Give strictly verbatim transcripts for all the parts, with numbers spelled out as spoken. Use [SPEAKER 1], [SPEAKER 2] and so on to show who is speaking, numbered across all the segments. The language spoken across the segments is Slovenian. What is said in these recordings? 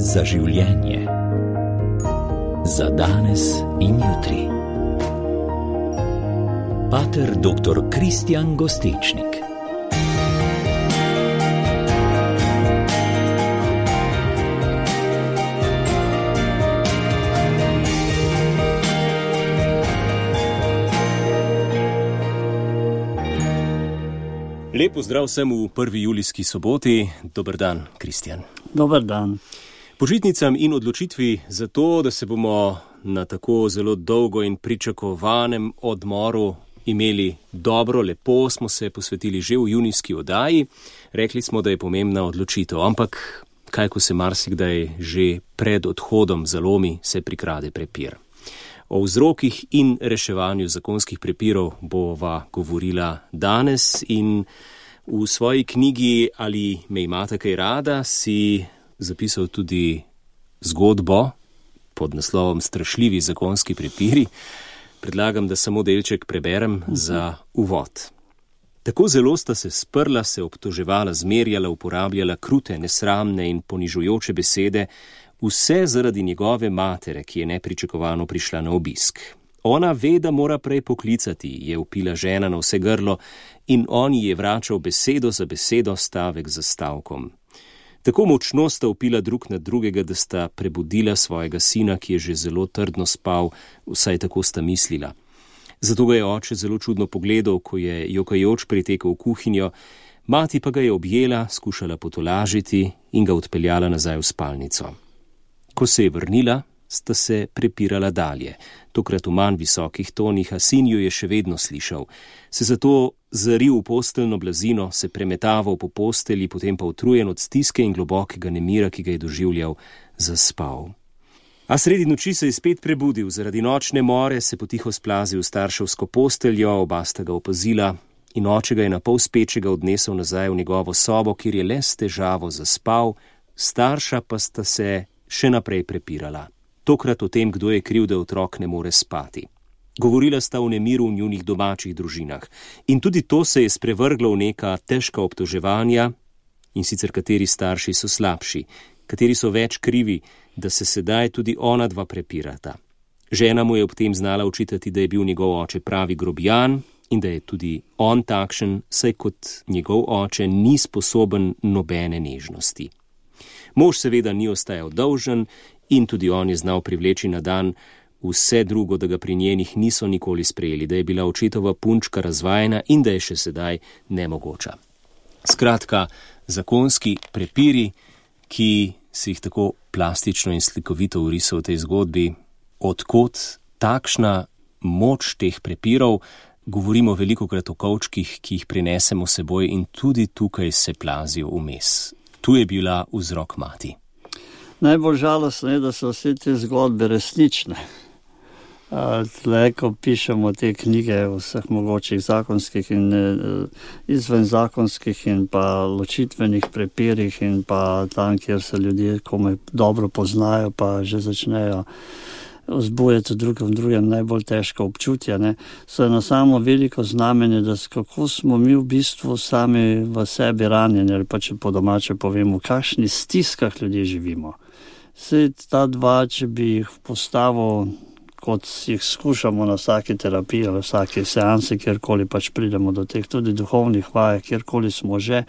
[SPEAKER 1] za življenje. Za danes in jutri. Pater doktor Kristjan Gostečnik.
[SPEAKER 2] Lep pozdrav vsem v prvi julijski soboti. Dober dan, Kristjan.
[SPEAKER 3] Dober dan.
[SPEAKER 2] Počitnicam in odločitvi za to, da se bomo na tako zelo dolgo in pričakovanem odmoru imeli dobro, lepo, smo se posvetili že v junijski oddaji. Rekli smo, da je pomembna odločitev, ampak kaj, ko se marsikdaj že pred odhodom zalomi, se prikrade prepir. O vzrokih in reševanju zakonskih prepirov bova govorila danes in v svoji knjigi Ali me imate kaj rada si zapisal tudi zgodbo pod naslovom Strašljivi zakonski prepiri. Predlagam, da samo delček preberem za uvod. Tako zelo sta se sprla, se obtoževala, zmerjala, uporabljala krute, nesramne in ponižujoče besede, vse zaradi njegove matere, ki je nepričakovano prišla na obisk. Ona ve, da mora prej poklicati, je vpila žena na vse grlo in on ji je vračal besedo za besedo, stavek za stavkom. Tako močno sta vpila drug na drugega, da sta prebudila svojega sina, ki je že zelo trdno spal, vsaj tako sta mislila. Zato ga je oče zelo čudno pogledal, ko je jokajoč pritekel v kuhinjo, mati pa ga je objela, skušala potolažiti in ga odpeljala nazaj v spalnico. Ko se je vrnila, sta se prepirala dalje, tokrat v manj visokih tonih, a sin jo je še vedno slišal. Se zato zaril v posteljno blazino, se premetaval po postelji, potem pa utrujen od stiske in globokega nemira, ki ga je doživljal, zaspal. A sredi noči se je spet prebudil, zaradi nočne more se potiho splazil v starševsko posteljo, oba sta ga opazila in oče ga je na pol spečega odnesel nazaj v njegovo sobo, kjer je le s težavo zaspal, starša pa sta se še naprej prepirala. Tokrat o tem, kdo je kriv, da otrok ne more spati. Govorila sta o nemiru v njunih domačih družinah. In tudi to se je sprevrglo v neka težka obtoževanja, in sicer kateri starši so slabši, kateri so več krivi, da se sedaj tudi ona dva prepirata. Žena mu je ob tem znala očitati, da je bil njegov oče pravi grobijan in da je tudi on takšen, saj kot njegov oče ni sposoben nobene nežnosti. Mož seveda ni ostajal dolžen in tudi on je znal privleči na dan vse drugo, da ga pri njenih niso nikoli sprejeli, da je bila očetova punčka razvajena in da je še sedaj nemogoča. Skratka, zakonski prepiri, ki si jih tako plastično in slikovito vrisal v tej zgodbi, odkot takšna moč teh prepirov, govorimo velikokrat o kovčkih, ki jih prinesemo seboj in tudi tukaj se plazijo vmes. Tu je bila vzrok mati.
[SPEAKER 3] Najbolj žalostno je, da so vse te zgodbe resnične. Tle, ko pišemo te knjige vseh mogočih zakonskih in izvenzakonskih in pa ločitvenih prepirih in pa tam, kjer se ljudje komaj dobro poznajo, pa že začnejo vzbujati drugem drugem najbolj težko občutja, ne, so eno samo veliko znamenje, da kako smo mi v bistvu sami v sebi ranjeni, ali pa če po domače povemo, v kakšni stiskah ljudje živimo. Saj ta dva, če bi jih postavil, kot jih skušamo na vsaki terapiji ali vsaki seansi, kjerkoli pač pridemo do teh tudi duhovnih vaj, kjerkoli smo že,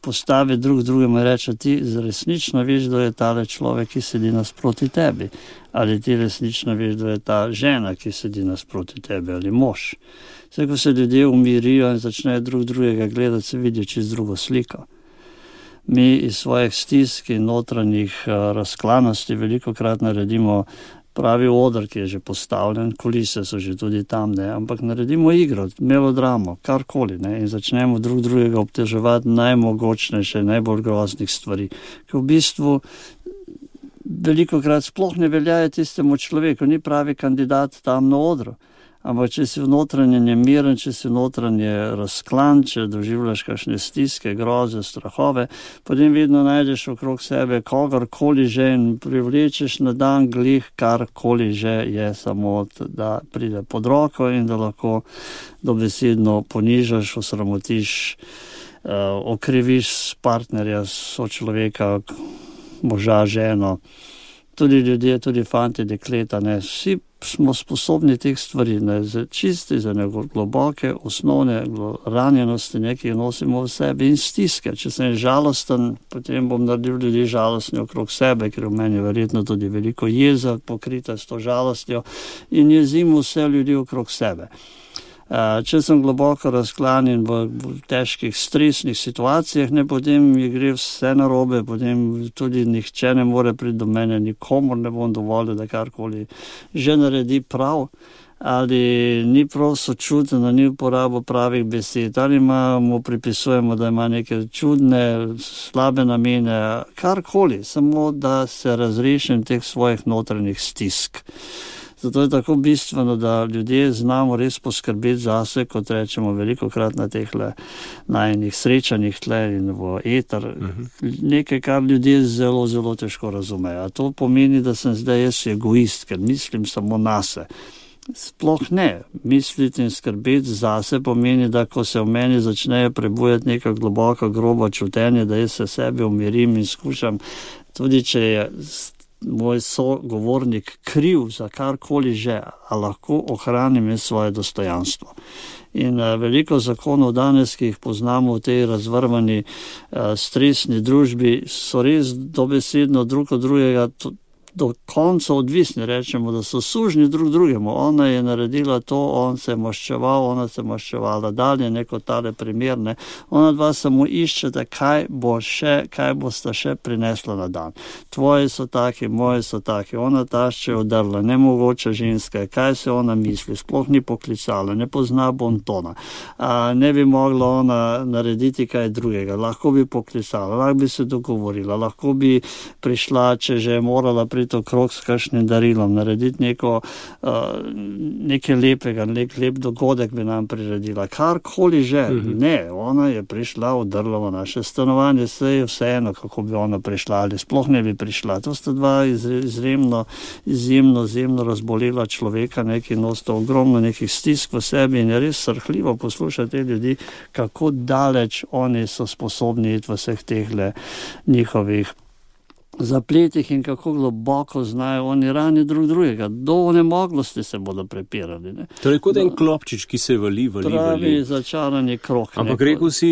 [SPEAKER 3] postavi drug drugemu in reče, ti resnično veš, da je tale človek, ki sedi nasproti tebi, ali ti resnično veš, da je ta žena, ki sedi nasproti tebi, ali mož. Vse, ko se ljudje umirijo in začnejo drug drugega gledati, se vidijo čez drugo sliko. Mi iz svojih stisk in notranjih razklanosti velikokrat naredimo pravi odr, ki je že postavljen, kulise so že tudi tam, ne, ampak naredimo igro, melodramo, karkoli, ne, in začnemo drug drugega obteževati najmogočnejše, najbolj groznih stvari, ki v bistvu velikokrat sploh ne veljajo tistemu človeku, ni pravi kandidat tam na odru. Ampak če si v notranje nemiren, če si v notranje razklan, če doživljaš kakšne stiske, groze, strahove, potem vedno najdeš okrog sebe kogarkoli že in privlečeš na dan glih karkoli že je, samo da pride pod roko in da lahko dobesedno ponižaš, osramotiš, uh, okriviš partnerja, sočloveka, moža, ženo, tudi ljudje, tudi fanti, dekleta, ne, vsi smo sposobni teh stvari, ne, za čisti, za neko globoke, osnovne ranjenosti, nekaj nosimo v sebi in stiske. Če sem žalosten, potem bom naredil ljudi žalostni okrog sebe, ker v meni verjetno tudi veliko jeza pokrita s to žalostjo in jezim vse ljudi okrog sebe. Če sem globoko razklanjen v, v težkih stresnih situacijah, ne, potem mi gre vse narobe, potem tudi nihče ne more priti do mene, nikomor ne bom dovolil, da karkoli že naredi prav, ali ni prav sočuten, ni uporabo pravih besed, ali ima, mu pripisujemo, da ima neke čudne, slabe namene, karkoli, samo da se razrešim teh svojih notranjih stisk. Zato je tako bistveno, da ljudje znamo res poskrbeti zase, kot rečemo veliko krat na teh najnih srečanjih tle in v eter. Uh-huh. Nekaj, kar ljudje zelo, zelo težko razumejo. A to pomeni, da sem zdaj jaz egoist, ker mislim samo nase. Sploh ne. Misliti in skrbeti zase pomeni, da ko se v meni začnejo prebujati neka globoka, groba čutenja, da jaz se sebi umirim in skušam, tudi če je moj sogovornik kriv za karkoli že, a lahko ohranim svoje dostojanstvo. In uh, veliko zakonov danes, ki jih poznamo v tej razvrvani uh, stresni družbi, so res dobesedno drug od drugega to, do konca odvisni, rečemo, da so sužni drug drugemu. Ona je naredila to, on se je maščeval, ona se je maščevala dalje, neko tale primer, ne. Ona dva samo iščeta, kaj bo še, kaj bosta še prinesla na dan. Tvoji so taki, moji so taki, ona tašče odrla, nemogoča ženska, kaj se ona misli, sploh ni poklicala, ne pozna bontona, a, ne bi mogla ona narediti kaj drugega, lahko bi poklicala, lahko bi se dogovorila, lahko bi prišla, če že je morala priti okrog s kakšnim darilom, narediti neko, uh, nekaj lepega, nek lep dogodek bi nam priredila. Karkoli že. Mm-hmm. Ne, ona je prišla, odrla v naše stanovanje, se je vseeno, kako bi ona prišla ali sploh ne bi prišla. To sta dva izjemno, izjemno, izjemno razbolela človeka, neki nosita ogromno nekih stisk v sebi in je res srhljivo poslušati te ljudi, kako daleč oni so sposobni iti v vseh tehle njihovih zapletih in kako globoko znajo oni rani drug drugega. Do onemoglosti se bodo prepirali. Ne.
[SPEAKER 2] Torej kot en klopčič, ki se vali, vali,
[SPEAKER 3] pravi
[SPEAKER 2] vali.
[SPEAKER 3] Pravi začarani krog.
[SPEAKER 2] Ampak rekel si,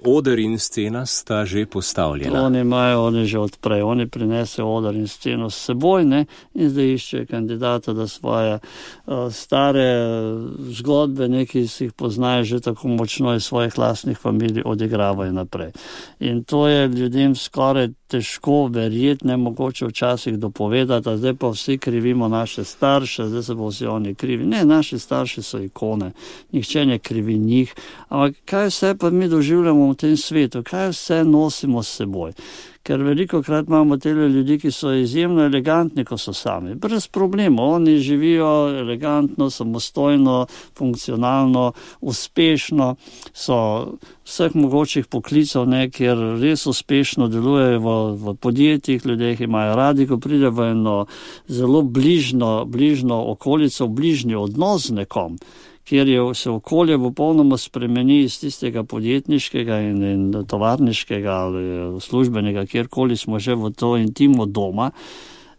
[SPEAKER 2] oder in scena sta že postavljena.
[SPEAKER 3] Oni imajo, oni že odprej, oni prinesejo oder in sceno s seboj, ne, in zdaj iščejo kandidata, da svoje uh, stare zgodbe, neki si jih poznajo že tako močno iz svojih lastnih familij, odigravajo naprej. In to je ljudem skoraj težko verjeti, nemogoče včasih dopovedati, a zdaj pa vsi krivimo naše starše, zdaj se bo vsi oni krivi. Ne, naši starši so ikone, nihče ne krivi njih, ampak kaj vse pa mi doživljamo v tem svetu, kaj vse nosimo s seboj. Ker veliko krat imamo tele ljudi, ki so izjemno elegantni, ko so sami. Brez problemov, oni živijo elegantno, samostojno, funkcionalno, uspešno, so vseh mogočih poklicev, ne, kjer res uspešno delujejo v, v podjetjih, ljudje imajo radi, ko pride v eno zelo bližno, bližno okolico, bližnji odnos z nekom, kjer je se okolje popolnoma spremeni iz tistega podjetniškega in, in tovarniškega ali službenega, kjerkoli smo že v to intimo doma,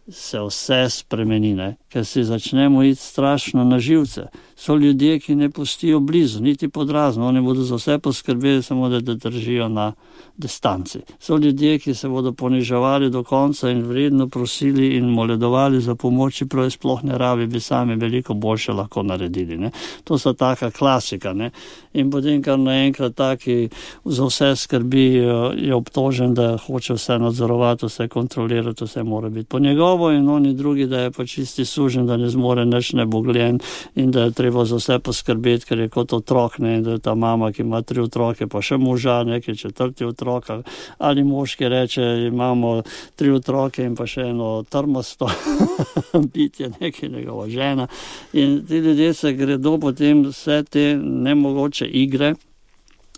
[SPEAKER 3] se vse spremeni, ne? Ker si začnemo iti strašno na živce. So ljudje, ki ne pustijo blizu, niti podrazno, oni bodo za vse poskrbeli, samo da te držijo na distanci. So ljudje, ki se bodo poniževali do konca in vredno prosili in moledovali za pomoč, čeprav sploh ne rabi, bi sami veliko boljše lahko naredili. Ne? To so taka klasika. Ne? In potem, kar naenkrat taki za vse skrbi, je obtožen, da hoče vse nadzorovati, vse kontrolirati, vse mora biti po njegovo in oni drugi, da je pa čisti sužen, da ne zmore nič nebogljen in da je treba za vse poskrbeti, ker je kot otrok, ne, in da je ta mama, ki ima tri otroke, pa še moža, neki četrti otrok, ali mož, ki reče, imamo tri otroke in pa še eno trmasto bitje, neki njegova žena. In ti ljudje se gredo potem vse te nemogoče igre,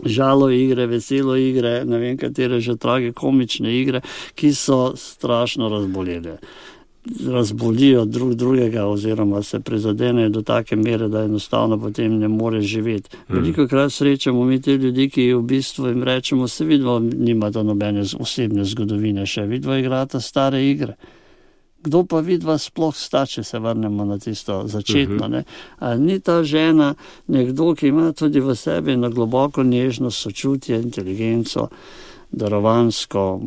[SPEAKER 3] žalo igre, veselo igre, ne vem katere že trage komične igre, ki so strašno razbolele. razbolijo drug drugega oziroma se prizadenejo do take mere, da enostavno potem ne more živeti. Veliko krat srečamo mi te ljudi, ki v bistvu jim rečemo, se vidva nimata nobene osebne zgodovine še, vidva igrata stare igre. Kdo pa vidva sploh sta, če se vrnemo na tisto začetno, ne? A ni ta žena nekdo, ki ima tudi v sebi na globoko nežnost, sočutje, inteligenco, darovansko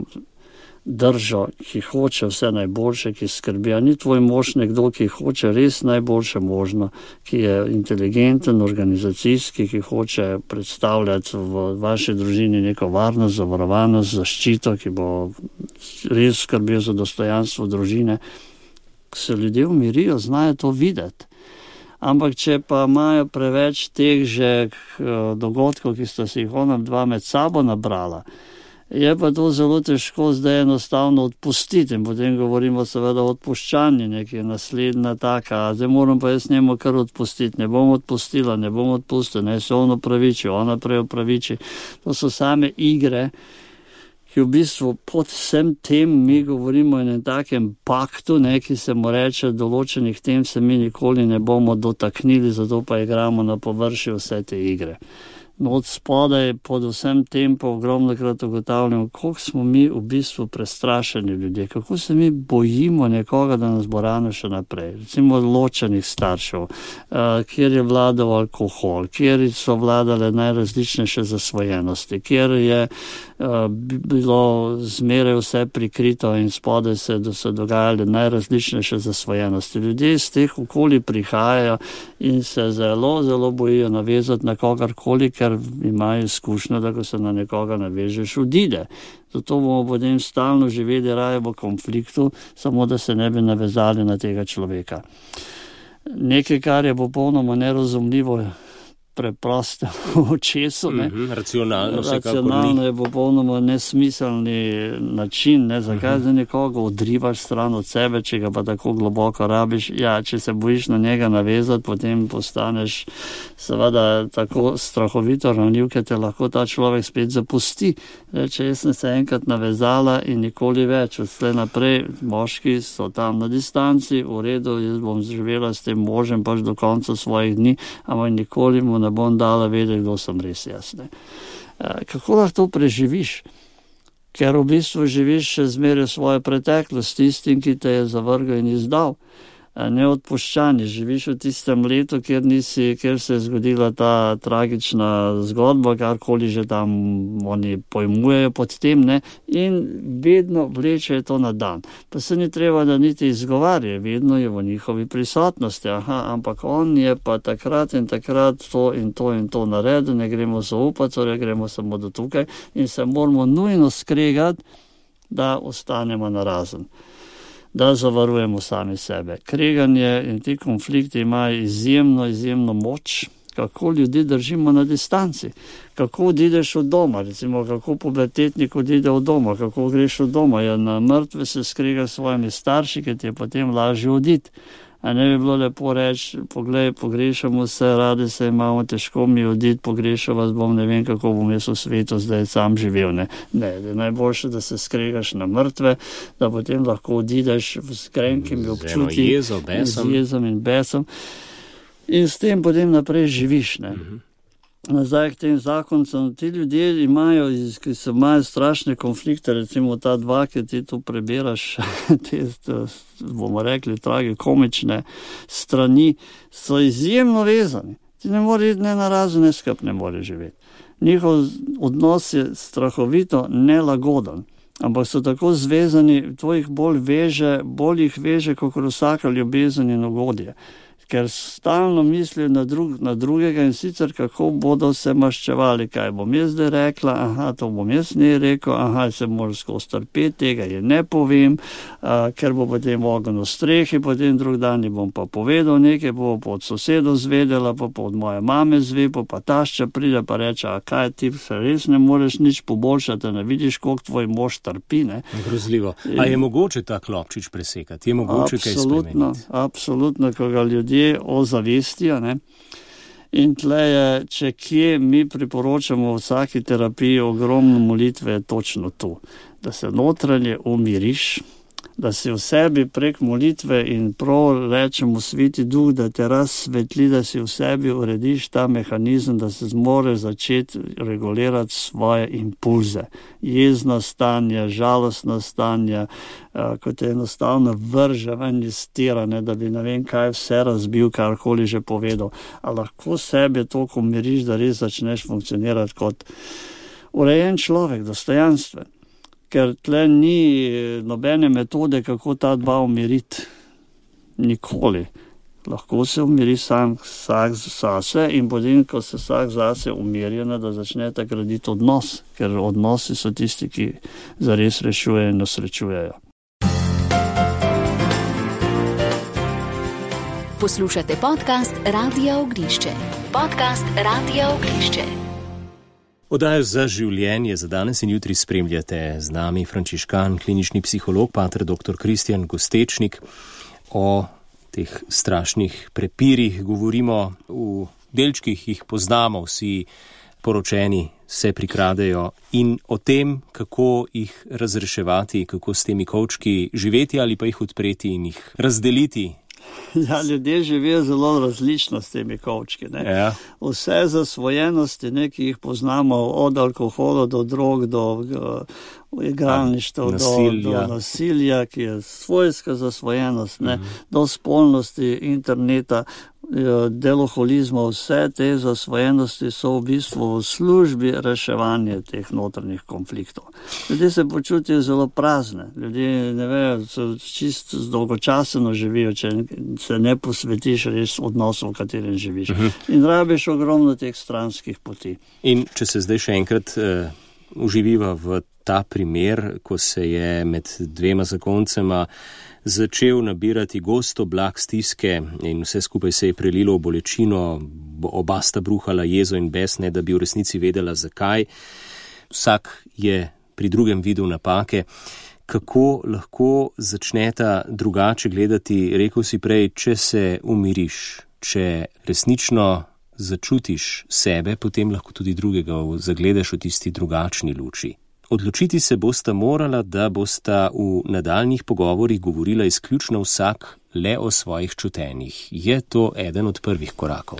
[SPEAKER 3] držo, ki hoče vse najboljše, ki skrbi. A ni tvoj mož nekdo, ki hoče res najboljše možno, ki je inteligenten, organizacijski, ki hoče predstavljati v vaši družini neko varnost, zavarovanost, zaščito, ki bo res skrbel za dostojanstvo družine. Ko se ljudje umirijo, znajo to videti. Ampak če pa imajo preveč teh že dogodkov, ki sta si jih ona dva med sabo nabrala, je pa to zelo težko zdaj enostavno odpustiti in potem govorimo seveda o odpuščanju, nekaj naslednja taka, zdaj moram pa jaz njemu kar odpustiti, ne bom odpustila, ne bom odpustila, ne se on opraviči, ona prej opraviči. To so same igre, ki v bistvu pod vsem tem mi govorimo o enem takem paktu, ne, ki se mu reče, določenih tem se mi nikoli ne bomo dotaknili, zato pa igramo na površju vse te igre. No, od spodaj pod vsem tem pa ogromno krat ugotavljamo, koliko smo mi v bistvu prestrašeni ljudje, kako se mi bojimo nekoga, da nas bo ranil še naprej. Recimo ločenih staršev, uh, kjer je vladal alkohol, kjer so vladale najrazličnejše zasvojenosti, kjer je uh, bilo zmeraj vse prikrito in spodaj se, da se dogajale najrazličnejše zasvojenosti. Ljudje iz teh okolij prihajajo in se zelo, zelo bojijo navezati na kogarkoli, ker imajo izkušnjo, da ko se na nekoga navežeš, odide. Zato bomo potem stalno živeli raje v konfliktu, samo da se ne bi navezali na tega človeka. Nekaj, kar je popolnoma nerazumljivo preprosto očesu, ne.
[SPEAKER 2] Mm-hmm, racionalno se kako ni.
[SPEAKER 3] Racionalno je popolnoma nesmiselni način, ne, zakaj mm-hmm. za nekoga odrivaš stran od sebe, če ga pa tako globoko rabiš. Ja, če se bojiš na njega navezati, potem postaneš seveda tako strahovito ranljiv, ker te lahko ta človek spet zapusti. Reče, jaz sem se enkrat navezala in nikoli več. Odslej naprej moški so tam na distanci, v redu, jaz bom živela s tem možem pač do konca svojih dni, ampak nikoli mu ne bom dala vedeti, kdo sem res jaz. Ne. Kako lahko to preživiš? Ker v bistvu živiš še zmeraj svojo preteklost, tistim, ki te je zavrgal in izdal. Neodpuščani, živiš v tistem letu, kjer, nisi, kjer se je zgodila ta tragična zgodba, karkoli že tam oni pojmujejo pod tem, ne? In vedno vleče to na dan. Pa se ni treba, da niti izgovarja, vedno je v njihovi prisotnosti. Aha, ampak on je pa takrat in takrat to in to in to naredil, ne gremo zaupati, torej gremo samo do tukaj in se moramo nujno skregati, da ostanemo narazen, da zavarujemo sami sebe. Kreganje in ti konflikti imajo izjemno, izjemno moč, kako ljudi držimo na distanci, kako odideš od doma, recimo kako pubertetnik odide od doma, kako greš od doma, ja, na mrtve se skrega s svojimi starši, ker ti je potem lažje oditi. A ne bi bilo lepo reči, poglej, pogrešamo se, radi se imamo, težko mi oditi, pogrešal vas bom, ne vem, kako bom jaz v svetu zdaj sam živel. Ne, ne, da je najboljše, da se skregaš na mrtve, da potem lahko odideš s grenkimi občutki,
[SPEAKER 2] jezo, besom.
[SPEAKER 3] z jezom in besom in s tem potem naprej živiš. Ne. Mm-hmm. Nazaj k tem zakoncem, ti ljudje imajo, ki se imajo strašne konflikte, recimo ta dva, ki ti tu prebiraš, te, bomo rekli, trage, komične strani, so izjemno vezani. Ti ne more iti ne na razen, ne skup ne more živeti. Njihov odnos je strahovito nelagoden, ampak so tako zvezani, to jih bolj veže, bolj jih veže, kot vsaka ljubezen in ugodje. Ker stalno mislijo na, drug, na drugega in sicer kako bodo se maščevali, kaj bom jaz zdaj rekla, aha, to bom jaz ne rekel, aha, se moram skozi trpeti, tega je ne povem, a, ker bo potem ogen v strehi, potem drug dan bom pa povedal nekaj, bo pa od sosedov zvedela, pa, pa od moje mame zve, pa, pa tašča pride pa reče, a kaj ti se res ne moreš nič poboljšati, ne vidiš, koliko tvoj mož trpi. Ne?
[SPEAKER 2] Grozljivo. A je mogoče ta klopčič presekati? Je mogoče kaj spremeniti?
[SPEAKER 3] Absolutno, ko ga ljudje ozavestijo, ne. In tleje, če kje mi priporočamo v vsaki terapiji ogromno molitve, je točno to, da se notranje umiriš, da si v sebi prek molitve in prav rečemo Sveti Duh, da te razsvetli, da si v sebi urediš ta mehanizem, da se zmore začeti regulirati svoje impulze. Jezna stanja, žalostna stanja, ko te enostavno vrže ven iz tira, ne, da bi ne vem kaj vse razbil, karkoli že povedal. A lahko sebe toliko umiriš, da res začneš funkcionirati kot urejen človek, dostojanstven. Ker tle ni nobene metode, kako ta dva umiriti. Nikoli. Lahko se umiri sam vsak zase in potem, ko se vsak zase umirjena, da začnete graditi odnos, ker odnosi so tisti, ki zares rešujejo in osrečujejo.
[SPEAKER 4] Poslušate podcast Radia Ognišče. Podcast Radia Ognišče.
[SPEAKER 2] Oddajo Za življenje za danes in jutri spremljate z nami frančiškan, klinični psiholog, pater doktor Kristijan Gostečnik. O teh strašnih prepirih govorimo v delčkih, jih poznamo, vsi poročeni se prikradejo, in o tem, kako jih razreševati, kako s temi kovčki živeti ali pa jih odpreti in jih razdeliti.
[SPEAKER 3] Ja, ljudje živijo zelo različno s temi kovčki. Ne? Ja. Vse zasvojenosti, ne, ki jih poznamo, od alkohola do drog, do uh, igralništva, do, do nasilja, ki je svojska zasvojenost, ne, mm-hmm. do spolnosti, interneta, deloholizma, vse te zasvojenosti so v bistvu v službi reševanja teh notranjih konfliktov. Ljudje se počutijo zelo prazne, ljudje ne vejo, so čisto dolgočaseno živijo, če se ne posvetiš res odnosu, v katerem živiš. Uh-huh. In rabiš ogromno teh stranskih poti.
[SPEAKER 2] In če se zdaj še enkrat uh, uživiva v ta primer, ko se je med dvema zakoncema začel nabirati gost oblak stiske in vse skupaj se je prelilo v bolečino, oba sta bruhala jezo in bes, ne da bi v resnici vedela zakaj. Vsak je pri drugem videl napake. Kako lahko začneta drugače gledati, rekel si prej, če se umiriš, če resnično začutiš sebe, potem lahko tudi drugega zagledaš v tisti drugačni luči. Odločiti se bosta morala, da bosta v nadaljnjih pogovorih govorila izključno vsak le o svojih čutenjih. Je to eden od prvih korakov?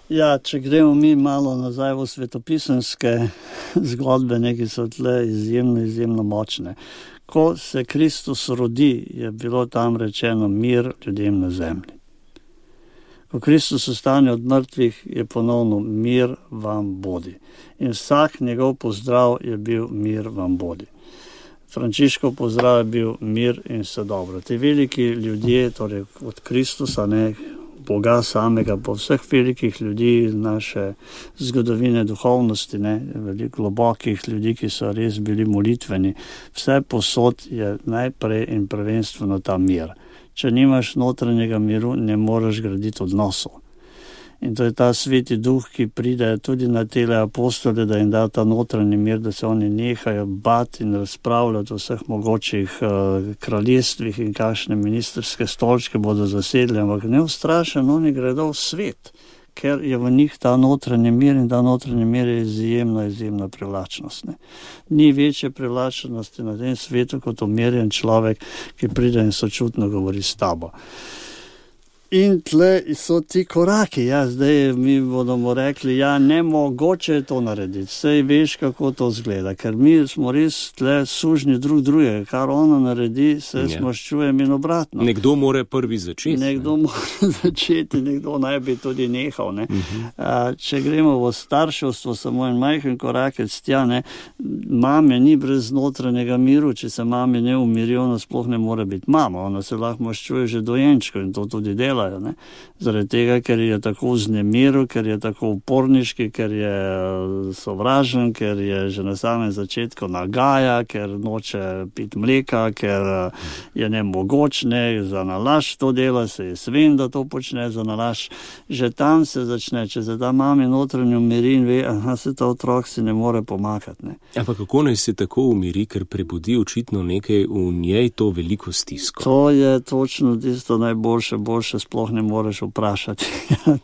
[SPEAKER 3] Ja, če gremo mi malo nazaj v svetopisemske zgodbe, neki so tle izjemno, izjemno močne. Ko se Kristus rodi, je bilo tam rečeno mir ljudem na zemlji. Ko Kristus ostane od mrtvih, je ponovno mir vam bodi. In vsak njegov pozdrav je bil mir vam bodi. Frančiškov pozdrav je bil mir in vse dobro. Ti veliki ljudje, torej od Kristusa, ne, Boga samega, po vseh velikih ljudi naše zgodovine duhovnosti, ne, veliko globokih ljudi, ki so res bili molitveni, vse posod je najprej in prvenstveno ta mir. Če nimaš notranjega miru, ne moreš graditi odnosov. In to je ta Sveti Duh, ki pride tudi na tele apostole, da jim da ta notranji mir, da se oni nehajo bati in razpravljati o vseh mogočih uh, kraljestvih in kakšne ministerske stolčke bodo zasedli, ampak neustrašeno oni gredo v svet, ker je v njih ta notranji mir in ta notranji mir je izjemna, izjemna privlačnost. Ne. Ni večje privlačnosti na tem svetu kot umirjen človek, ki pride in sočutno govori s tabo. In tle so ti koraki, ja, zdaj mi bomo rekli, ja, ne mogoče je to narediti, sej veš, kako to zgleda, ker mi smo res tle sužnji drug drugega, kar ona naredi, se ja. Smaščujem in obratno.
[SPEAKER 2] Nekdo mora prvi začeti.
[SPEAKER 3] Nekdo ne? mora začeti, nekdo naj bi tudi nehal. Ne? Uh-huh. A, če gremo v starševstvo, samo en majhen korakec tja, ne, mame ni brez notranjega miru, če se mame ne umiri, ona sploh ne more biti mama, ona se lahko maščuje že dojenčko in to tudi dela. Ne? Zaradi tega, ker je tako vznemiru, ker je tako uporniški, ker je sovražen, ker je že na samem začetku nagaja, ker noče piti mleka, ker je nemogoč, ne, za nalaž to dela, se je svem, da to počne za nalaž. Že tam se začne, če se ta mami notranjo umiri in ve, aha, se ta otrok si ne more pomakati. Ne?
[SPEAKER 2] Ampak kako naj se tako umiri, ker prebudi očitno nekaj v njej to veliko stisko?
[SPEAKER 3] To je točno tisto najboljše, boljše sploh ne moreš vprašati.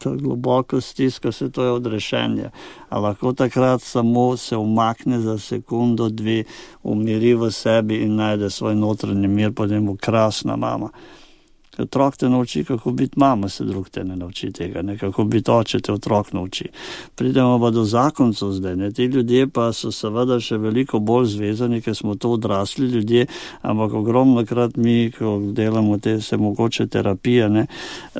[SPEAKER 3] To globoko stisko, se to je odrešenje. A lahko takrat samo se umakne za sekundo, dve, umiri v sebi in najde svoj notranji mir, potem bo krasna mama. Otrok te nauči, kako biti mama, se drug te ne nauči tega, ne? Kako biti oče te otrok nauči. Pridemo pa do zakoncev zdaj, ne? Ti ljudje pa so seveda še veliko bolj zvezani, ker smo to odrasli ljudje, ampak ogromno krat mi, ko delamo te se mogoče terapije, ne?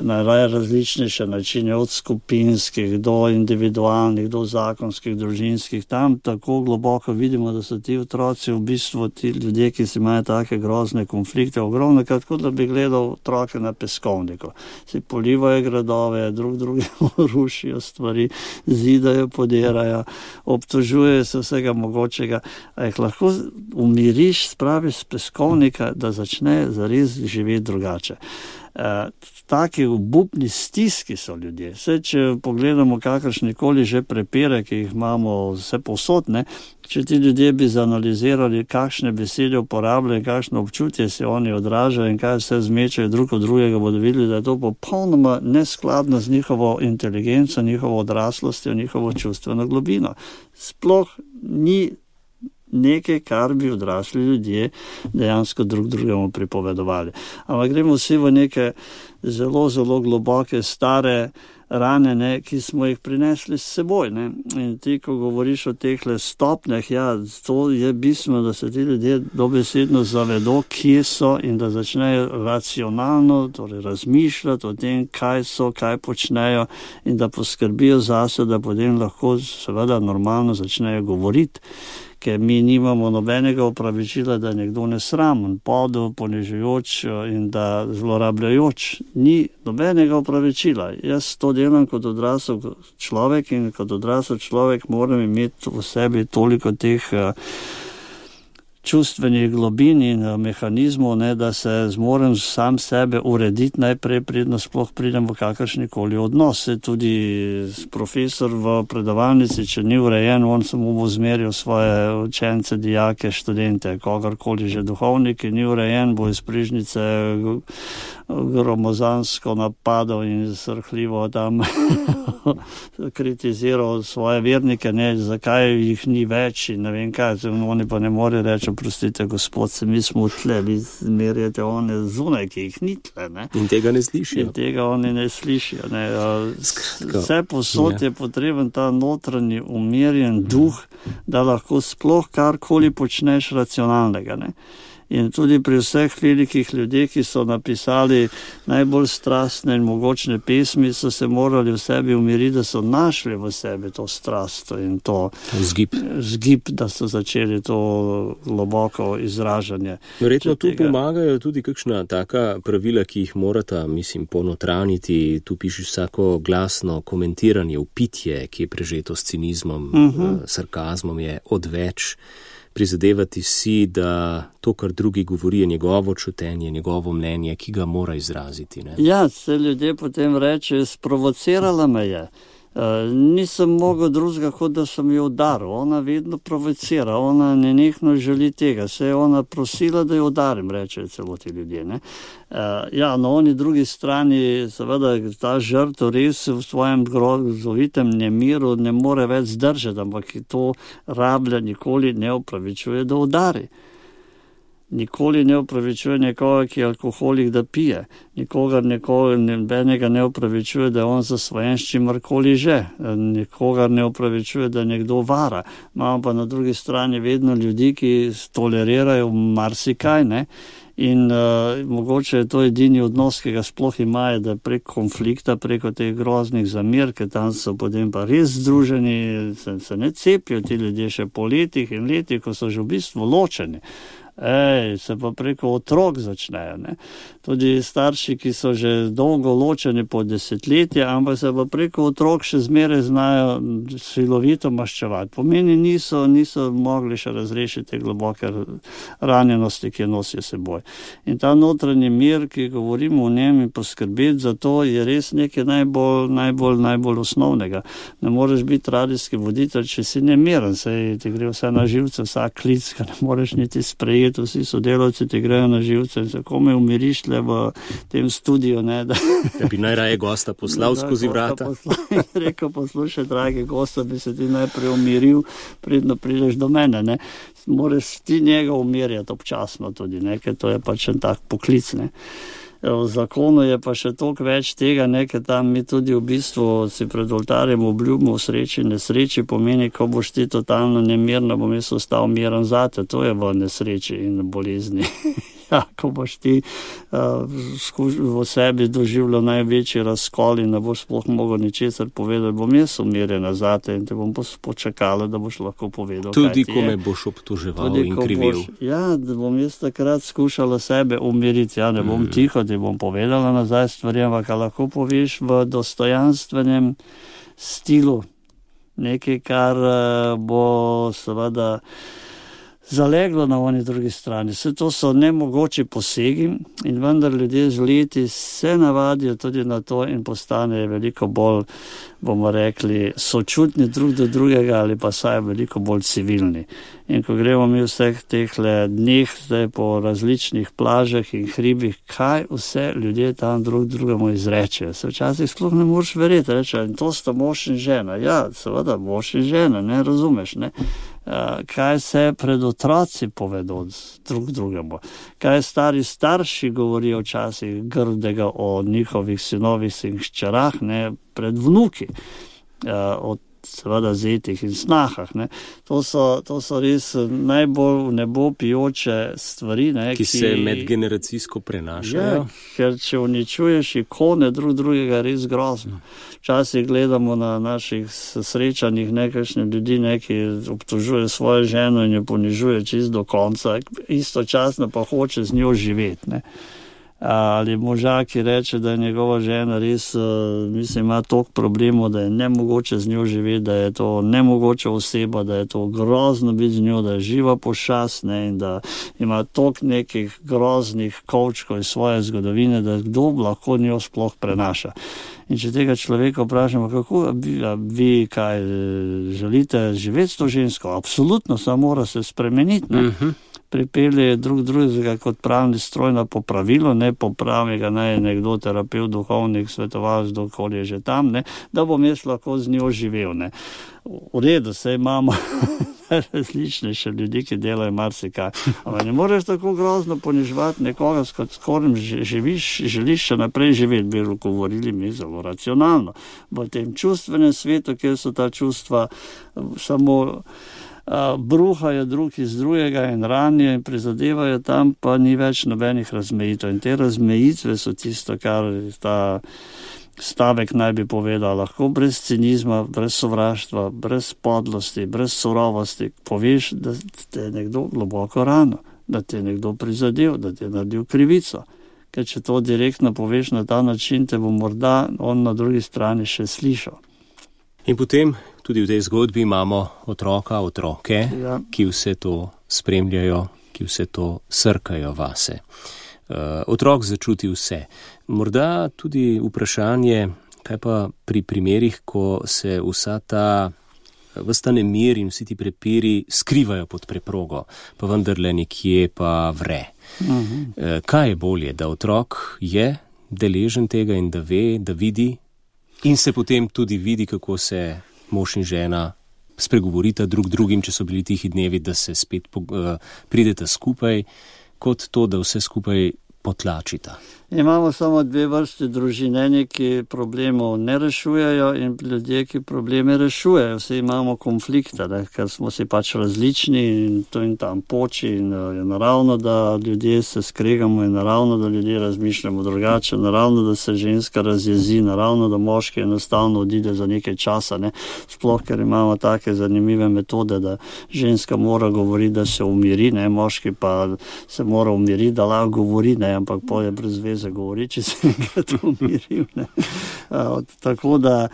[SPEAKER 3] Na različnejše načine, od skupinskih do individualnih, do zakonskih, družinskih, tam tako globoko vidimo, da so ti otroci v bistvu ti ljudje, ki si imajo take grozne konflikte, ogromno krat, kot da bi gledal otrok na peskovniku. Si polivajo gradove, drug drugemu rušijo stvari, zidajo, podirajo, obtožujejo se vsega mogočega. A jih lahko umiriš, spraviš z peskovnika, da začne zares živeti drugače. Uh, taki obupni stiski so ljudje. Vse, če pogledamo kakršnikoli že prepire, ki jih imamo vse povsod, ne, če ti ljudje bi zanalizirali, kakšne besede uporabljajo, kakšno občutje se oni odražajo in kaj vse zmečajo drug od drugega, bodo videli, da je to popolnoma neskladno z njihovo inteligenco, njihovo odraslostjo, njihovo čustveno globino. Sploh ni nekaj, kar bi odrasli ljudje dejansko drug drugemu pripovedovali. Ampak gremo vsi v neke zelo, zelo globoke, stare rane, ne, ki smo jih prinesli s seboj. Ne. In ti, ko govoriš o teh stopnjah, ja, to je bistveno, da se ti ljudje dobesedno zavedo, kje so in da začnejo racionalno, torej razmišljati o tem, kaj so, kaj počnejo in da poskrbijo zase, da potem lahko seveda normalno začnejo govoriti. Ker mi nimamo nobenega opravičila, da je nekdo nesramen, podel, ponižujoč in da zlorabljajoč. Ni nobenega opravičila. Jaz to delam kot odrasel človek in kot odrasel človek moram imeti v sebi toliko teh čustvenih globin in mehanizmov, ne, da se zmorem sam sebe urediti najprej, predno sploh pridem v kakršnikoli odnos. Tudi profesor v predavalnici, če ni urejen, on samo bo zmeril svoje učence, dijake, študente, kogarkoli že duhovnik, ki ni urejen, bo iz prižnice gromozansko napadal in srhljivo tam kritiziral svoje vernike, ne, zakaj jih ni več in ne vem kaj, oni pa ne more reči, oprostite, gospod, se mi smo tle, vi zmerjate one zunaj, ki jih ni tle, ne.
[SPEAKER 2] In tega ne slišijo.
[SPEAKER 3] In tega oni ne slišijo, ne. Vse posod je potreben ta notranji umirjen duh, da lahko sploh karkoli počneš racionalnega, ne. In tudi pri vseh velikih ljudeh, ki so napisali najbolj strastne in mogočne pesmi, so se morali v sebi umiriti, da so našli v sebi to strast in to
[SPEAKER 2] zgib,
[SPEAKER 3] zgib da so začeli to globoko izražanje.
[SPEAKER 2] Verjetno tu pomagajo tudi kakšna taka pravila, ki jih morata, mislim, ponotraniti. Tu pišeš vsako glasno komentiranje, upitje, ki je prežeto s cinizmom, uh-huh. sarkazmom, je odveč. Prizadevati si, da to, kar drugi govori, je njegovo čutenje, njegovo mnenje, ki ga mora izraziti. Ne?
[SPEAKER 3] Ja, se ljudje potem reče, sprovocirala me je. Uh, nisem mogel drugega, kot da sem jo udaril. Ona vedno provocira, ona nenehno želi tega. Se je ona prosila, da jo udarim, rečejo celo ti ljudje. Ne? Uh, ja, na oni drugi strani, seveda, ta žrtev res v svojem grozovitem nemiru ne more več zdržati, ampak to rablja nikoli ne opravičuje, da udari. Nikoli ne opravičuje nekoga, ki je alkoholik, da pije. Nikogar, nekoga, nebenega ne opravičuje, da je on zasvojen s čimarkoli že. Nikogar ne opravičuje, da nekdo vara. Imamo pa na drugi strani vedno ljudi, ki tolerirajo marsikaj, ne? In uh, mogoče je to edini odnos, ki ga sploh imajo, da prek konflikta, preko teh groznih zamir, ker tam so potem pa res združeni, se, se ne cepijo ti ljudje še po letih in letih, ko so že v bistvu ločeni. Ej, se pa preko otrok začnejo, ne. Tudi starši, ki so že dolgo ločeni po desetletje, ampak se pa preko otrok še zmeraj znajo silovito maščevati. Pomeni niso, niso mogli še razrešiti globoke ranjenosti, ki jo nosijo seboj. In ta notranji mir, ki govorimo o njem in poskrbeti za to, je res nekaj najbolj, najbolj, najbolj osnovnega. Ne moreš biti radijski voditelj, če si nemiren, saj ti gre vse na živce, vsak klic, ga ne moreš niti sprejeti. prijet, vsi sodelavci ti grejo na živce in se kome umiriš tle v tem studiu, ne, da...
[SPEAKER 2] Da bi najraje gosta poslal skozi vrata.
[SPEAKER 3] Rekel, poslušaj, dragi gosta, bi se ti najprej umiril, predno prideš do mene, ne. Moraš ti njega umirjati občasno tudi, ne, ker to je pač en tak poklic, ne. V zakonu je pa še toliko več tega, ne, ker tam mi tudi v bistvu si pred oltarjem obljubimo v sreči, nesreči pomeni, ko boš ti totalno nemirno, bom jaz ostal miren zate, to je v nesreči in bolezni. Ja, ko boš ti uh, v sebi doživljal največji razkol in ne boš sploh mogel ničesar povedati, bom jaz umirjena zate in te bom počakala, da boš lahko povedal,
[SPEAKER 2] tudi ko me boš obtoževal tudi, in krivil. Boš,
[SPEAKER 3] ja, da bom jaz takrat skušala sebe umiriti, ja, ne bom mm. tiho, ti bom povedala nazaj stvari, ampak lahko poveš v dostojanstvenem stilu nekaj, kar uh, bo seveda zaleglo na oni drugi strani. Vse to so nemogoči posegi in vendar ljudje z leti se navadijo tudi na to in postanejo veliko bolj, bomo rekli, sočutni drug do drugega ali pa saj veliko bolj civilni. In ko gremo mi vseh tehle dneh zdaj po različnih plažah in hribih, kaj vse ljudje tam drug drugemu izrečejo. Se včasih sploh ne moreš verjeti, reče, in to sta mož in žena. Ja, seveda, mož in žena, ne razumeš, ne? Uh, kaj se pred otroci povedo drug drugemu, kaj stari starši govorijo včasih grdega o njihovih sinovih in hčerah, ne, pred vnuki, uh, o seveda zetih in snahah, ne. To so, to so res najbolj v nebo pijoče stvari, ne,
[SPEAKER 2] ki, ki se medgeneracijsko prenašajo.
[SPEAKER 3] Ja, ker če uničuješ ikone drug drugega, res grozno. Včasih gledamo na naših srečanjih nekakšne ljudi, neki obtožuje svojo ženo in jo ponižuje čist do konca, istočasno pa hoče z njo živeti, ne. Ali moža, ki reče, da je njegova žena res, mislim, ima toliko problemov, da je nemogoče z njo živeti, da je to nemogoča oseba, da je to grozno biti z njo, da je živa pošast, ne, in da ima toliko nekih groznih kovčkov iz svoje zgodovine, da kdo lahko njo sploh prenaša. In če tega človeka vprašamo, kako vi, vi kaj želite živeti s to žensko, absolutno, samo mora se spremeniti, ne. Uh-huh. Pripelje drug drugega kot pravni stroj na popravilo, ne popravi ga naj nekdo terapevt, duhovnik, svetovalec, dokoli je že tam, ne, da bom jaz lahko z njo živel, ne. V redu, saj imamo različnejše ljudi, ki delajo marsikaj. Ampak ne moreš tako grozno poniževati nekoga, s katerim živiš, želiš še naprej živeti, bi govorili mi zelo racionalno. V tem čustvenem svetu, kjer so ta čustva samo Uh, bruhajo drug iz drugega in ranijo in prizadevajo, tam pa ni več nobenih razmejitev. In te razmejitve so tisto, kar ta stavek naj bi povedal. Lahko brez cinizma, brez sovraštva, brez podlosti, brez surovosti poveš, da te je nekdo globoko rano, da te je nekdo prizadel, da te je naredil krivico. Ker če to direktno poveš na ta način, te bo morda on na drugi strani še slišal.
[SPEAKER 2] In potem tudi v tej zgodbi imamo otroka, otroke, ja, ki vse to spremljajo, ki vse to srkajo vase. Uh, otrok začuti vse. Morda tudi vprašanje, kaj pa pri primerih, ko se vsa ta vsta nemir in vsi ti prepiri skrivajo pod preprogo, pa vendarle nekje pa vre. Uh-huh. Uh, kaj je bolje, da otrok je deležen tega in da ve, da vidi, in se potem tudi vidi, kako se mož in žena spregovorita drug drugim, če so bili tihi dnevi, da se spet uh, prideta skupaj, kot to, da vse skupaj potlačita.
[SPEAKER 3] Imamo samo dve vrste družin, eni, ki problemov ne rešujejo in ljudje, ki probleme rešujejo. Vsi imamo konflikte, ne, ker smo si pač različni in to in tam poči in je naravno, da ljudje se skregamo in naravno, da ljudje razmišljamo drugače, naravno, da se ženska razjezi, naravno, da moški enostavno odide za nekaj časa, ne. Sploh, ker imamo take zanimive metode, da ženska mora govoriti, da se umiri, ne, moški pa se mora umiriti, da lahko govori, ne, ampak poje brez veze govori, če se enkrat umiril. Ne. Uh, tako da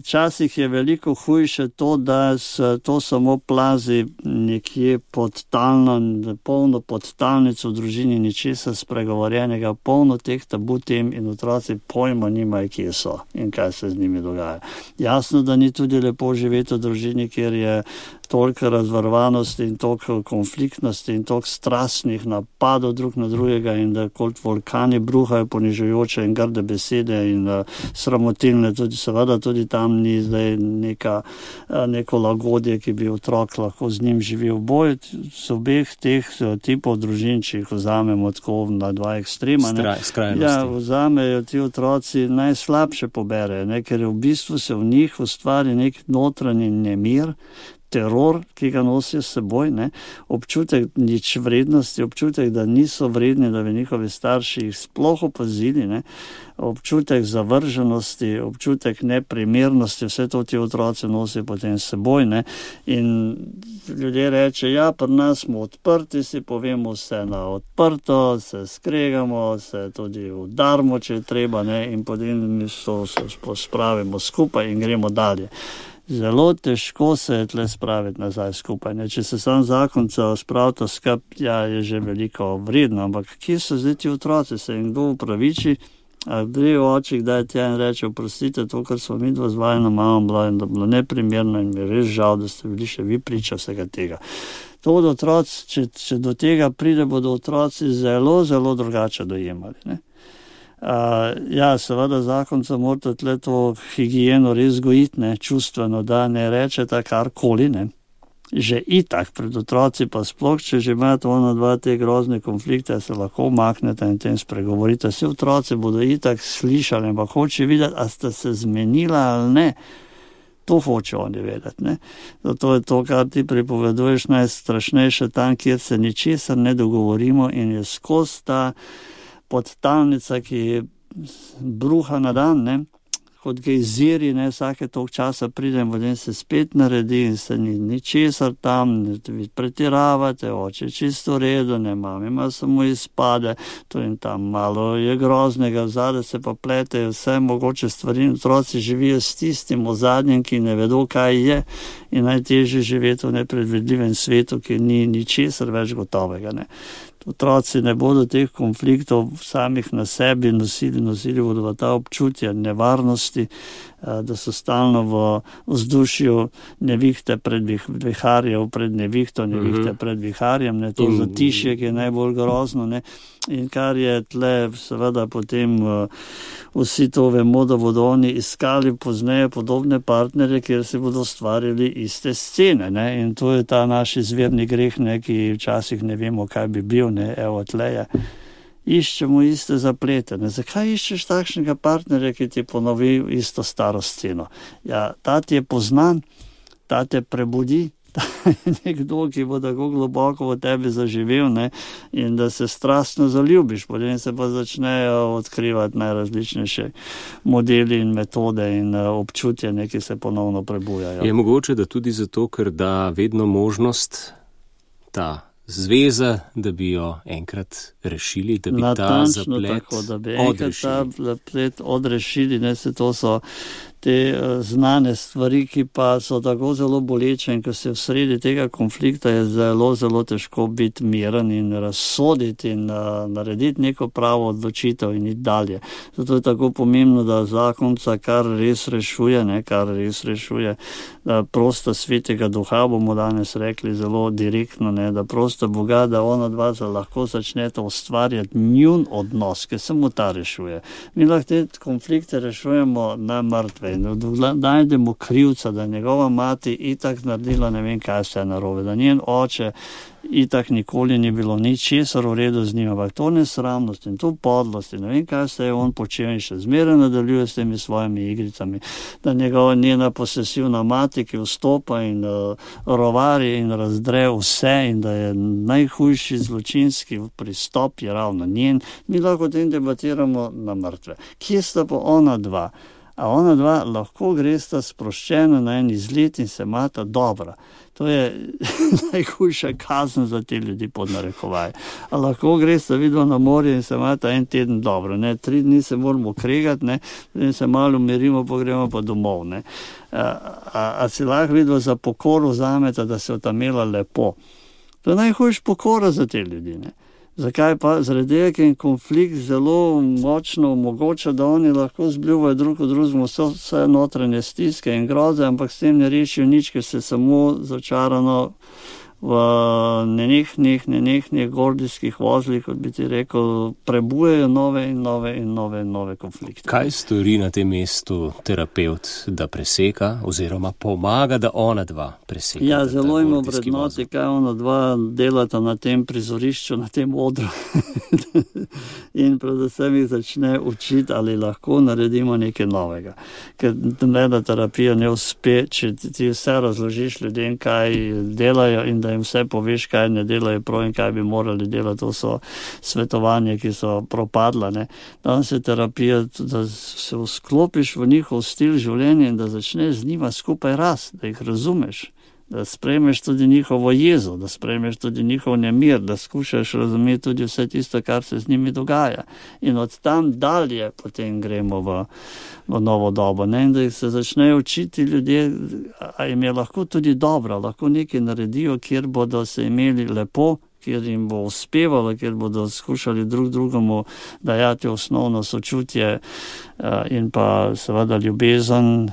[SPEAKER 3] včasih uh, je veliko hujše to, da se to samo plazi nekje pod talno, polno pod talnico v družini, ničesa spregovorjenega, polno teh tabu tem in otroci pojma nimajo, kje so in kaj se z njimi dogaja. Jasno, da ni tudi lepo živeti v družini, kjer je toliko razvarvanosti in toliko konfliktnosti in toliko strastnih napadov drug na drugega in da kot vulkani bruhajo ponižujoče in grde besede in uh, sramotilne, tudi seveda tudi tam ni zdaj neka, uh, neko lagodje, ki bi otrok lahko z njim živel. Boj z obeh teh uh, tipov družin, če jih vzamemo tako na dva ekstrema, ne, ja, vzamejo ti otroci najslabše pobere, ne, ker v bistvu se v njih ustvari nek notranji nemir, teror, ki ga nosijo s seboj, ne, občutek nič vrednosti, občutek, da niso vredni, da bi njihovi starši jih sploh opazili, ne, občutek zavrženosti, občutek neprimernosti, vse to ti otroci nosijo potem s seboj, ne, in ljudje reče, ja, pri nas smo odprti, si povemo vse na odprto, se skregamo, se tudi udarmo, če je treba, ne, in potem mi so, se spravimo skupaj in gremo dalje. Zelo težko se je tle spraviti nazaj skupaj. Ne? Če se sam zakonca spravita skup, ja, je že veliko vredno, ampak kje so zdaj ti otroci, se jim kdo upraviči, a gre v oči, kdaj tja in reče, oprostite, to, kar smo mi dva z vajeno mamo bila in da bilo neprimerno in mi je res žal, da ste bili še vi priča vsega tega. To od otroci, če, če do tega pride, bodo otroci zelo, zelo drugače dojemali, ne? Uh, ja, seveda zakonca morate tle to higieno res gojiti, ne, čustveno, da ne rečete karkoli, ne. Že itak pred otroci pa sploh, če že imate ona dva te grozne konflikte, se lahko umaknete in tem spregovorite. Vsi otroci bodo itak slišali, ampak hoče videti, a ste se zmenila ali ne. To hoče oni vedeti, ne. Zato je to, kar ti pripoveduješ, najstrašnejše tam, kjer se ničesar ne dogovorimo in je skozi ta podtalnica, ki je bruha na dan, ne, kot gejziri, ne, vsake toliko časa pridem, potem se spet naredi in se ni ničesar tam, vi pretiravate, oče čisto redo, ne, mami ima samo izpade, to in tam malo je groznega, vzade se pa pletejo vse mogoče stvari, otroci živijo s tistim ozadnjem, ki ne vedo, kaj je in najtežje živeti v nepredvidljivem svetu, ki ni ničesar več gotovega, ne. Otroci ne bodo teh konfliktov samih na sebi nosili, nosili bodo v ta občutja nevarnosti, da so stalno v vzdušju nevihte pred viharjem, pred nevihto, nevihte pred viharjem, ne, to zatišje, ki je najbolj grozno, ne, in kar je tle, seveda potem vsi to vemo, da bodo oni iskali pozneje podobne partnerje, kjer si bodo ustvarili iste scene, ne, in to je ta naš izvirni greh, ne, ki včasih ne vemo, kaj bi bil, ne, evo tleje. Iščemo iste zaplete. Ne? Zakaj iščeš takšnega partnerja, ki ti ponovi isto staro sceno? Ja, ta ti je poznan, ta te prebudi, ta je nekdo, ki bo tako globoko v tebi zaživel, ne? In da se strastno zaljubiš, potem se pa začnejo odkrivati najrazličnejše modeli in metode in občutje, ki se ponovno prebujajo.
[SPEAKER 2] Je mogoče, da tudi zato, ker da vedno možnost ta zveza, da bi jo enkrat rešili, da bi
[SPEAKER 3] Natančno
[SPEAKER 2] ta zaplet
[SPEAKER 3] tako, da bi enkrat
[SPEAKER 2] odrešili.
[SPEAKER 3] ta zaplet odrešili, ne, se to so te uh, znane stvari, ki pa so tako zelo boleče in ko se v sredi tega konflikta je zelo, zelo težko biti miren in razsoditi in uh, narediti neko pravo odločitev in iti dalje. Zato je tako pomembno, da zakonca kar res rešuje, ne, kar res rešuje, da prosta svetega duha, bomo danes rekli zelo direktno, ne, da prosta Boga, da ona dva lahko začneta ustvarjati njun odnos, ki samo ta rešuje. Mi lahko te konflikte rešujemo na mrtve. Najdemo krivca, da njegova mati itak naredila ne vem kaj vse narobe, da njen oče itak nikoli ni bilo ničesar v redu z njim, ampak to nesramnost in to podlost in ne vem kaj vse je on počel in še zmeraj nadaljuje s temi svojimi igricami, da njegova njena posesivna mati, ki vstopa in uh, rovari in razdre vse in da je najhujši zločinski pristop je ravno njen, mi lahko o tem debatiramo na mrtve. Kje sta pa ona dva? A ona dva lahko gresta sproščeno na en izlet in se imata dobra. To je najhujša kazen za te ljudi pod narekovaj. A lahko gresta vidva na morje in se imata en teden dobro. Ne? Tri dni se moramo kregati, ne? Potem se malo umirimo, pa gremo pa domov. Ne? A, a, a si lahko vidva za pokoro vzameta, da se otamela lepo. To je najhujša pokora za te ljudi. Ne? Zakaj pa? Zaradi tega, ker konflikt zelo močno omogoča, da oni lahko zbljuvajo drug od drugega vse, vse notranje stiske in groze, ampak s tem ne rešijo nič, ker se samo začarano v nenehnih, nenehnih gordijskih vozlih, kot bi ti rekel, prebujejo nove in nove in nove in nove konflikte.
[SPEAKER 2] Kaj stori na tem mestu terapeut, da preseka oziroma pomaga, da ona dva preseka?
[SPEAKER 3] Ja, zelo ima vrednoti, kaj ona dva delata na tem prizorišču, na tem odru. In predvsem jih začne učiti, ali lahko naredimo nekaj novega. Ker nobena terapija ne uspe, če ti vse razložiš ljudem, kaj delajo in da jim vse poveš, kaj ne delajo prav in kaj bi morali delati. To so svetovanja, ki so propadla. Ne. Danes je terapija, da se vsklopiš v njihov stil življenja in da začneš z njima skupaj rasti, da jih razumeš, da sprejmeš tudi njihovo jezo, da sprejmeš tudi njihov nemir, da skušaš razumeti tudi vse tisto, kar se z njimi dogaja. In od tam dalje potem gremo v, v novo dobo. Ne? In da se začnejo učiti ljudje, a jim je lahko tudi dobro, lahko nekaj naredijo, kjer bodo se imeli lepo, kjer jim bo uspevalo, kjer bodo skušali drug drugemu dajati osnovno sočutje in pa seveda ljubezen,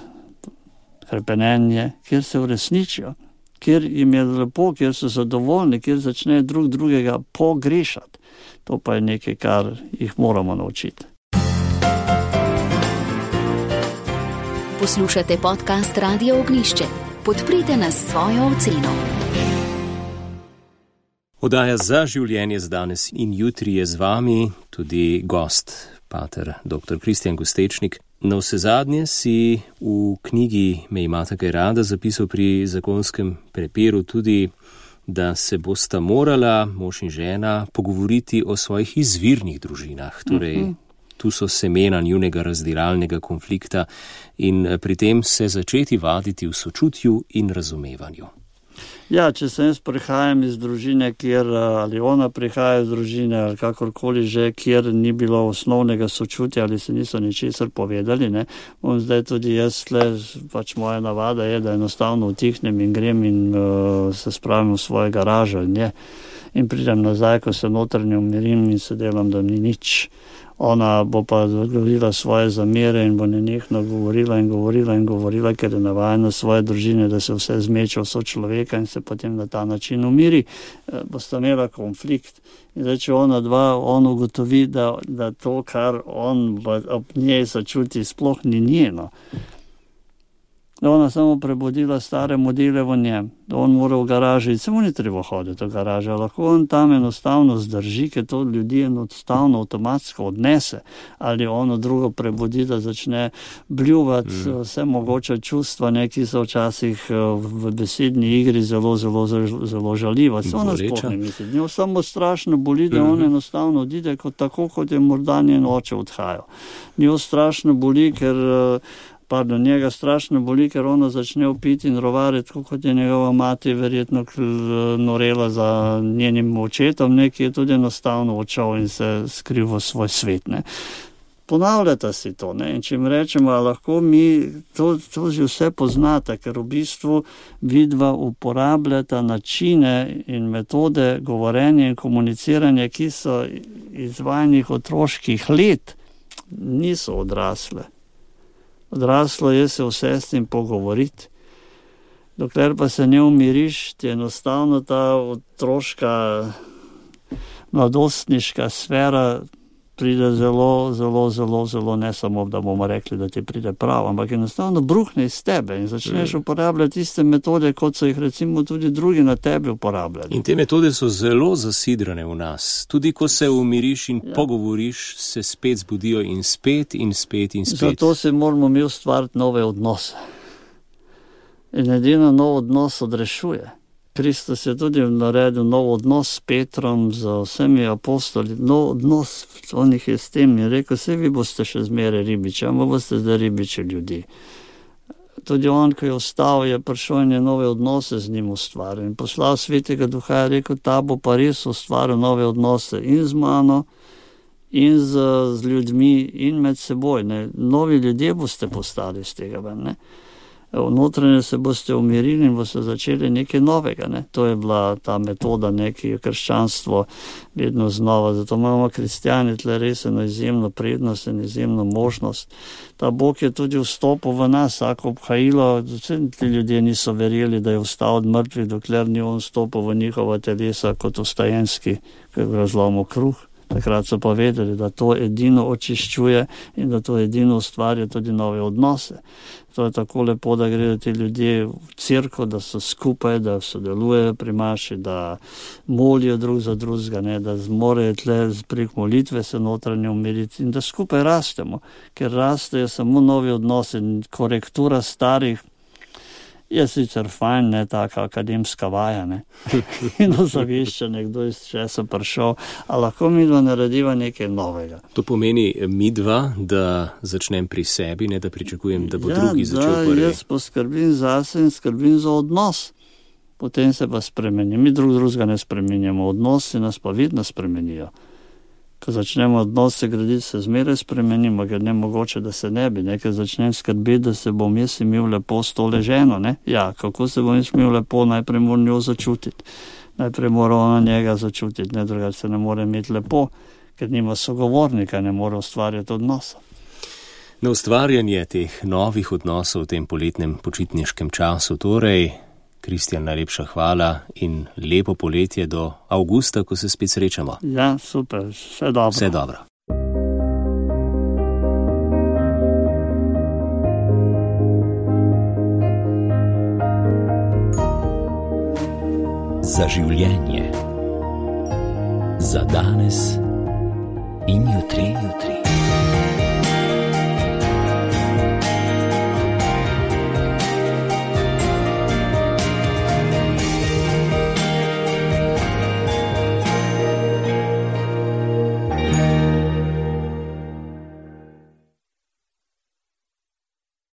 [SPEAKER 3] hrepenenje, kjer se uresničijo, kjer jim je lepo, kjer so zadovoljni, kjer začnejo drug drugega pogrešati. To pa je nekaj, kar jih moramo naučiti.
[SPEAKER 4] Poslušate podcast Radia Ognišče. Podprite nas s svojo oceno.
[SPEAKER 2] Oddaja Za življenje z danes in jutri je z vami tudi gost, pater doktor Kristjan Gostečnik. Na vsezadnje si v knjigi Me imata kaj rada zapisal pri zakonskem prepiru tudi, da se bosta morala, mož in žena, pogovoriti o svojih izvirnih družinah. Torej, uh-huh. Tu so semena njunega razdiralnega konflikta in pri tem se začeti vaditi v sočutju in razumevanju.
[SPEAKER 3] Ja, če se jaz prihajam iz družine, kjer, ali ona prihaja iz družine, ali kakorkoli že, kjer ni bilo osnovnega sočutja, ali se niso ničesar povedali, ne, bom zdaj tudi jaz, tle, pač moja navada je, da enostavno utihnem in grem in uh, se spravim v svojo garažo in, je, in pridem nazaj, ko se notranje umirim in se delam, da ni nič. Ona bo pa govorila svoje zamere in bo nenehno govorila in govorila in govorila, ker je navajena svoje družine, da se vse zmeče v sočloveka in se potem na ta način umiri, bosta imela konflikt. In zdaj, če ona dva, on ugotovi, da, da to, kar on ob njej začuti, sploh ni njeno. Da ona samo prebudila stare modele v njem, da on mora v garaži, samo ni treba hoditi v garažo, lahko on tam enostavno zdrži, ker to ljudi enostavno avtomatsko odnese, ali ono drugo prebudi, da začne bljuvati mm. vse mogoče čustva, ne, ki so včasih v besedni igri zelo, zelo, zelo, zelo žaljiva. Se ona sploh ne misli. Njo samo strašno boli, da on enostavno odide, kot tako, kot je morda njen oče odhajal. Njo strašno boli, ker Pardon, njega strašno boli, ker ona začne upiti in rovariti, kot je njegova mati verjetno norela za njenim očetom, neki je tudi enostavno očal in se skril v svoj svet. Ne. Ponavljata si to, ne. In če jim rečemo, lahko mi to, to že vse poznate, ker v bistvu vidva uporabljata načine in metode govorenja in komuniciranja, ki so iz vajnih otroških let, niso odrasle. Odraslo je se vse s tem pogovoriti. Dokler pa se ne umiriš, ti enostavno ta otroška, mladostniška sfera pride zelo, zelo, zelo, zelo, ne samo, da bomo rekli, da ti pride prav, ampak enostavno bruhne iz tebe in začneš uporabljati tiste metode, kot so jih recimo tudi drugi na tebi uporabljali.
[SPEAKER 2] In te metode so zelo zasidrane v nas. Tudi ko se umiriš in ja. pogovoriš, se spet zbudijo in spet in spet in spet.
[SPEAKER 3] Zato se moramo mi ustvariti nove odnose. In edino nov odnos odrešuje. Kristus je tudi naredil nov odnos s Petrom, z vsemi apostoli, nov odnos, on jih je s tem in rekel, vse vi boste še zmeraj ribiči, ampak boste zdaj ribiči ljudi. Tudi on, ko je ostal, je prišel in je nove odnose z njim ustvaril. In poslal Svetega Duha, je rekel, ta bo pa res ustvaril nove odnose in z mano, in z, z ljudmi, in med seboj. Ne. Novi ljudje boste postali z tega ven, ne. Notranje se boste umirili in boste začeli nekaj novega. Ne? To je bila ta metoda, neki krščanstvo vedno znova. Zato imamo kristjani tle res eno izjemno prednost in izjemno možnost. Ta Bog je tudi vstopil v nas, ako obhajilo, ti ljudje niso verjeli, da je vstal od mrtvih, dokler ni on vstopil v njihova telesa kot vstajenski, ki je razlomil kruh. Takrat so pa vedeli, da to edino očiščuje in da to edino ustvarja tudi nove odnose. To je tako lepo, da gredo ti ljudje v cerkev, da so skupaj, da sodelujejo pri maši, da molijo drug za drugega, ne, da zmorejo tle prek molitve se notranje umiriti in da skupaj rastemo, ker rastejo samo novi odnosi, korektura starih. Je sicer fajn, ne, taka akademska vaja, ne, in ozaveščanje, kdo iz česa prišel, a lahko midva narediva nekaj novega.
[SPEAKER 2] To pomeni midva, da začnem pri sebi, ne da pričakujem, da bo
[SPEAKER 3] ja,
[SPEAKER 2] drugi začel prvi.
[SPEAKER 3] Ja, jaz poskrbim zase in skrbim za odnos. Potem se pa spremeni. Mi drug drugega ne spremenjamo, odnosi nas pa vidno spremenijo. Ko začnemo odnose graditi, se zmeraj spremenimo, ker ne mogoče, da se ne bi. Ker začnem skrbeti, da se bom jaz imel lepo s to leženo. Ne? Ja, kako se bom jaz imel lepo, najprej moram njo začutiti. Najprej mora ona njega začutiti, ne drugače se ne more imeti lepo, ker nima sogovornika, ne more ustvarjati odnosa.
[SPEAKER 2] Na ustvarjanje teh novih odnosov v tem poletnem počitniškem času torej, Kristjan, najlepša hvala in lepo poletje do avgusta, ko se spet srečamo.
[SPEAKER 3] Ja, super, vse dobro.
[SPEAKER 2] Vse dobro.
[SPEAKER 1] Za življenje. Za danes in jutri, jutri.